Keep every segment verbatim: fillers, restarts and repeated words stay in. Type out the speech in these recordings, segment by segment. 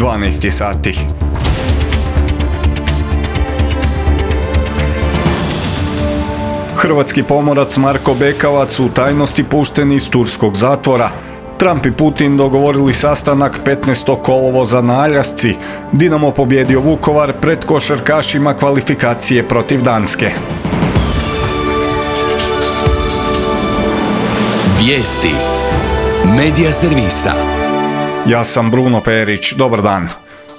dvanaest sati. Hrvatski pomorac Marko Bekavac u tajnosti pušten iz turskog zatvora. Trump i Putin dogovorili sastanak petnaestog kolovoza na Aljasci. Dinamo pobjedio Vukovar, pred košarkašima kvalifikacije protiv Danske. Vijesti Medija servisa. Ja sam Bruno Perić, dobar dan.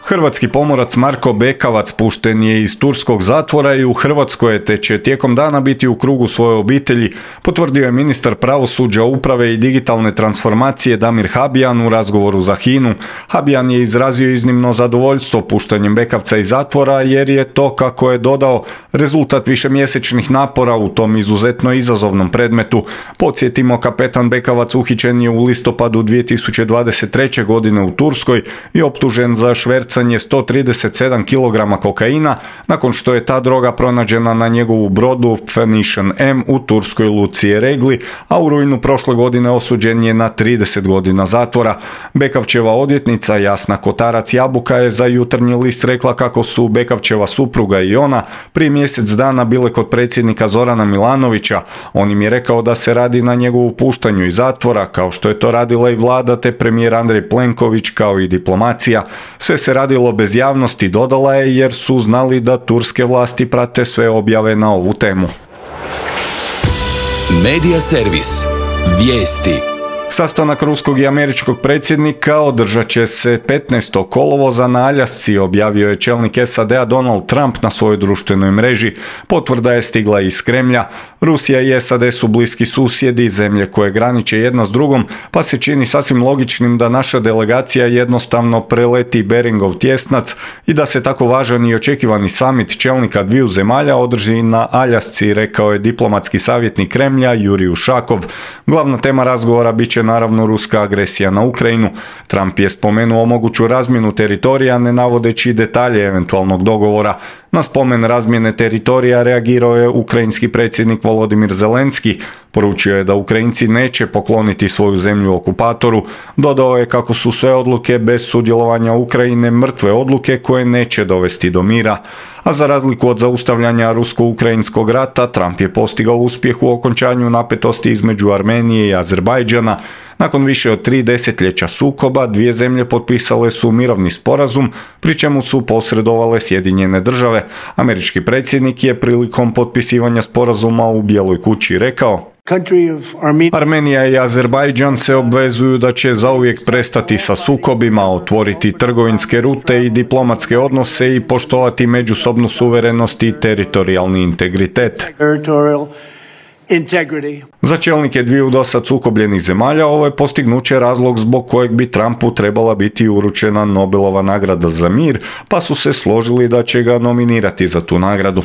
Hrvatski pomorac Marko Bekavac pušten je iz turskog zatvora i u Hrvatskoj te će tijekom dana biti u krugu svoje obitelji, potvrdio je ministar pravosuđa, uprave i digitalne transformacije Damir Habijan u razgovoru za Hinu. Habijan je izrazio iznimno zadovoljstvo puštanjem Bekavca iz zatvora jer je to, kako je dodao, rezultat višemjesečnih napora u tom izuzetno izazovnom predmetu. Podsjetimo, kapetan Bekavac uhićen je u listopadu dvije tisuće dvadeset treće. godine u Turskoj i optužen za švercanje sto trideset sedam kilograma kokaina nakon što je ta droga pronađena na njegovu brodu Phoenician M u turskoj luci Regli, a u rujnu prošle godine osuđen je na trideset godina zatvora. Bekavčeva odvjetnica Jasna Kotarac-Jabuka je za Jutarnji list rekla kako su Bekavčeva supruga i ona prije mjesec dana bile kod predsjednika Zorana Milanovića. On im je rekao da se radi na njegovu puštanju iz zatvora, kao što je to radila i vlada te premijer Andrej Plenković, kao i diplomacija. Sve se radilo bez javnosti, dodala je, jer su znali da turske vlasti prate sve objave na ovu temu. Medija servis. Vijesti. Sastanak ruskog i američkog predsjednika održat će se petnaestog kolovoza na Aljasci, objavio je čelnik S A D-a Donald Trump na svojoj društvenoj mreži. Potvrda je stigla iz Kremlja. Rusija i S A D su bliski susjedi, zemlje koje graniče jedna s drugom, pa se čini sasvim logičnim da naša delegacija jednostavno preleti Beringov tjesnac i da se tako važan i očekivani samit čelnika dviju zemalja održi na Aljasci, rekao je diplomatski savjetnik Kremlja Jurij Ušakov. Glavna tema razgovora bit će naravno ruska agresija na Ukrajinu. Trump je spomenuo moguću razmjenu teritorija, ne navodeći detalje eventualnog dogovora. Na spomen razmjene teritorija reagirao je ukrajinski predsjednik Volodimir Zelenski. Poručio je da Ukrajinci neće pokloniti svoju zemlju okupatoru. Dodao je kako su sve odluke bez sudjelovanja Ukrajine mrtve odluke koje neće dovesti do mira. A za razliku od zaustavljanja rusko-ukrajinskog rata, Trump je postigao uspjeh u okončanju napetosti između Armenije i Azerbajdžana. Nakon više od tri desetljeća sukoba, dvije zemlje potpisale su mirovni sporazum, pri čemu su posredovale Sjedinjene države. Američki predsjednik je prilikom potpisivanja sporazuma u Bijeloj kući rekao: Armenija i Azerbajdžan se obvezuju da će zauvijek prestati sa sukobima, otvoriti trgovinske rute i diplomatske odnose i poštovati međusobnu suverenost i teritorijalni integritet. Za čelnike dviju dosad sukobljenih zemalja ovo je postignuće razlog zbog kojeg bi Trumpu trebala biti uručena Nobelova nagrada za mir, pa su se složili da će ga nominirati za tu nagradu.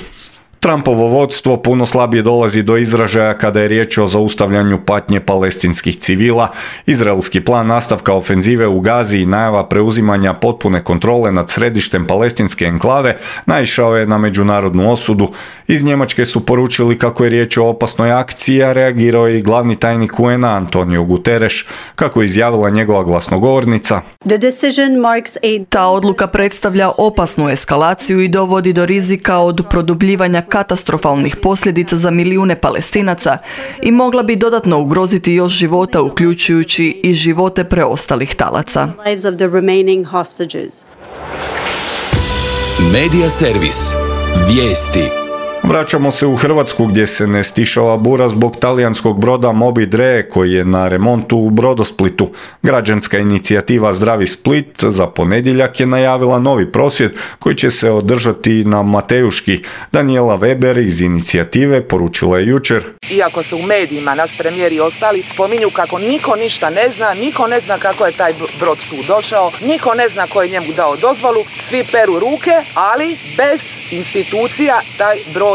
Trumpovo vodstvo puno slabije dolazi do izražaja kada je riječ o zaustavljanju patnje palestinskih civila. Izraelski plan nastavka ofenzive u Gazi i najava preuzimanja potpune kontrole nad središtem palestinske enklave naišao je na međunarodnu osudu. Iz Njemačke su poručili kako je riječ o opasnoj akciji, a reagirao je i glavni tajnik U N A Antonio Guterres. Kako je izjavila njegova glasnogovornica: Ta odluka predstavlja opasnu eskalaciju i dovodi do rizika od produbljivanja katastrofalnih posljedica za milijune Palestinaca i mogla bi dodatno ugroziti još života, uključujući i živote preostalih talaca. Medija servis. Vijesti. Vraćamo se u Hrvatsku gdje se ne stišava bura zbog talijanskog broda Moby Dre koji je na remontu u Brodosplitu. Građanska inicijativa Zdravi Split za ponedjeljak je najavila novi prosvjed koji će se održati na Matejuški. Daniela Weber iz inicijative poručila je jučer: Iako se u medijima naš premijer i ostali spominju kako niko ništa ne zna, niko ne zna kako je taj brod tu došao, niko ne zna ko je njemu dao dozvolu, svi peru ruke, ali bez institucija taj brod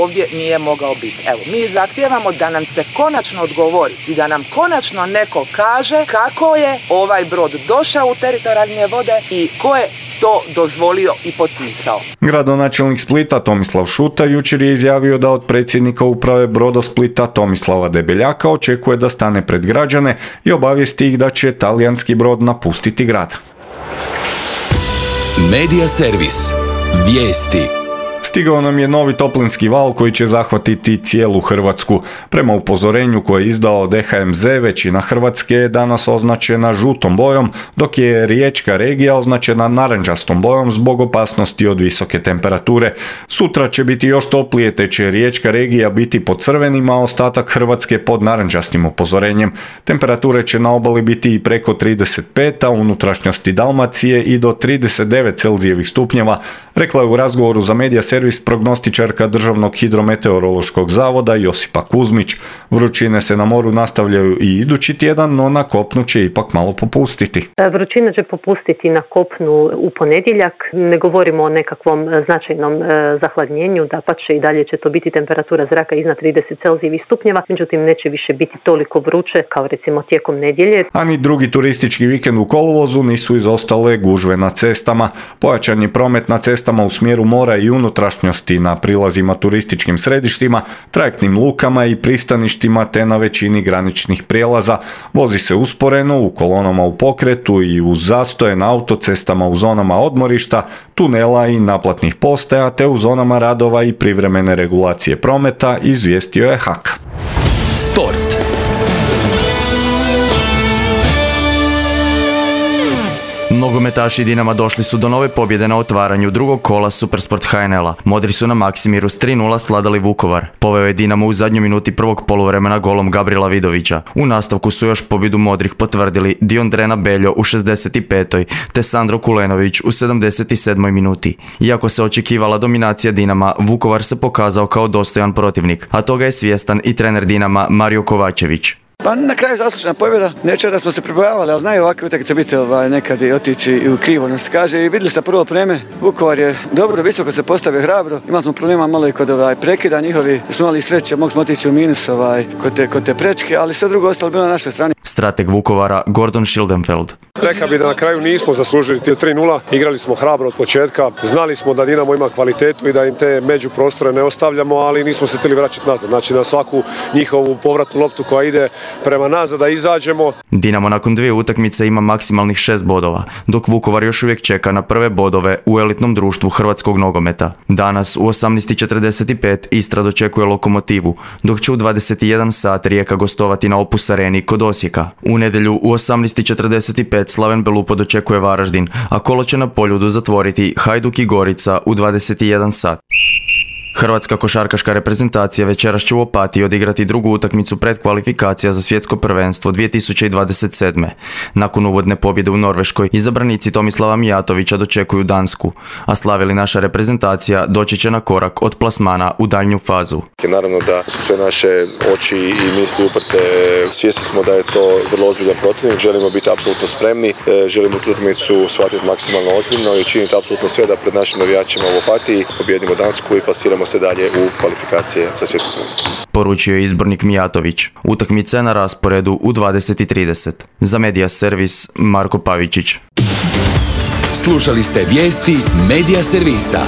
ovdje nije mogao biti. Evo, mi zahtijevamo da nam se konačno odgovori i da nam konačno neko kaže kako je ovaj brod došao u teritorijalne vode i ko je to dozvolio i potpisao. Gradonačelnik Splita Tomislav Šuta jučer je izjavio da od predsjednika uprave Brodosplita Tomislava Debeljaka očekuje da stane pred građane i obavijesti ih da će talijanski brod napustiti grad. Medija servis. Vijesti. Stigao nam je novi toplinski val koji će zahvatiti cijelu Hrvatsku. Prema upozorenju koje je izdao D H M Z, većina Hrvatske je danas označena žutom bojom, dok je riječka regija označena narančastom bojom zbog opasnosti od visoke temperature. Sutra će biti još toplije, te će riječka regija biti pod crvenim, a ostatak Hrvatske pod narančastim upozorenjem. Temperature će na obali biti i preko trideset pet, a u unutrašnjosti Dalmacije i do trideset devet Celzijevih stupnjeva, rekla je u razgovoru za Medija servis prognostičarka Državnog hidrometeorološkog zavoda Josipa Kuzmić. Vrućine se na moru nastavljaju i idući tjedan, no na kopnu će ipak malo popustiti. Vrućina će popustiti na kopnu u ponedjeljak. Ne govorimo o nekakvom značajnom zahladnjenju, dapače i dalje će to biti temperatura zraka iznad trideset Celzijevih stupnjeva, međutim neće više biti toliko vruće kao recimo tijekom nedjelje. A ni drugi turistički vikend u kolovozu nisu izostale gužve na cestama. Pojačan je promet na cestama u smjeru mora i unutrašnjosti na prilazima turističkim središtima, trajektnim lukama i pristaništima te na većini graničnih prijelaza. Vozi se usporeno u kolonama u pokretu i uz zastoje na autocestama u zonama odmorišta, tunela i naplatnih postaja te u zonama radova i privremene regulacije prometa, izvijestio je H A K. Sport. Nogometaši Dinama došli su do nove pobjede na otvaranju drugog kola Supersport H N L-a. Modri su na Maksimiru s tri nula sladali Vukovar. Poveo je Dinamo u zadnjoj minuti prvog poluvremena golom Gabriela Vidovića. U nastavku su još pobjedu modrih potvrdili Diondrena Beljo u šezdeset petoj te Sandro Kulenović u sedamdeset sedmoj minuti. Iako se očekivala dominacija Dinama, Vukovar se pokazao kao dostojan protivnik, a toga je svjestan i trener Dinama Mario Kovačević. Pa na kraju zaslužena pobjeda, neće da smo se pribojavali, ali znaju ovakve utakmice biti ovaj, nekad i otići i u krivo nas kaže i vidjeli ste prvo vreme, Vukovar je dobro, visoko se postavio, hrabro, imali smo problema malo i kod ovaj, prekida njihovi, smo imali sreće, mogli smo otići u minus ovaj, kod, te, kod te prečke, ali sve drugo ostalo bilo na našoj strani. Strateg Vukovara Gordon Schildenfeld. Rekao bi da na kraju nismo zaslužili tri nula, igrali smo hrabro od početka, znali smo da Dinamo ima kvalitetu i da im te međuprostore ne ostavljamo, ali nismo se htjeli vraćati nazad, znači na svaku njihovu povratnu loptu koja ide prema nazad da izađemo. Dinamo nakon dvije utakmice ima maksimalnih šest bodova, dok Vukovar još uvijek čeka na prve bodove u elitnom društvu hrvatskog nogometa. Danas u osamnaest četrdeset pet Istra dočekuje Lokomotivu, dok će u dvadeset jedan sat Rijeka gostovati na Opus Areni kod Osijeka. U nedjelju u osamnaest četrdeset pet Slaven Belupo dočekuje Varaždin, a kolo će na Poljudu zatvoriti Hajduk i Gorica u dvadeset jedan sat. Hrvatska košarkaška reprezentacija večeras će u Opatiji odigrati drugu utakmicu predkvalifikacija za svjetsko prvenstvo dvije tisuće dvadeset sedme. Nakon uvodne pobjede u Norveškoj, izabranici Tomislava Mijatovića dočekuju Dansku, a slavili naša reprezentacija doći će na korak od plasmana u daljnju fazu. Naravno da su sve naše oči i misli uprte, svjesni smo da je to vrlo ozbiljan protivnik, želimo biti apsolutno spremni, želimo tu utakmicu shvatiti maksimalno ozbiljno i činiti apsolutno sve da pred našim navijačima u Opatiji pobjedimo Dansku i pasiramo se dalje u kvalifikacije za svjetsko prvenstvo. Poručio je izbornik Mijatović. Utakmica je na rasporedu u dvadeset i trideset. Za Medija servis Marko Pavičić. Slušali ste vijesti Medija servisa.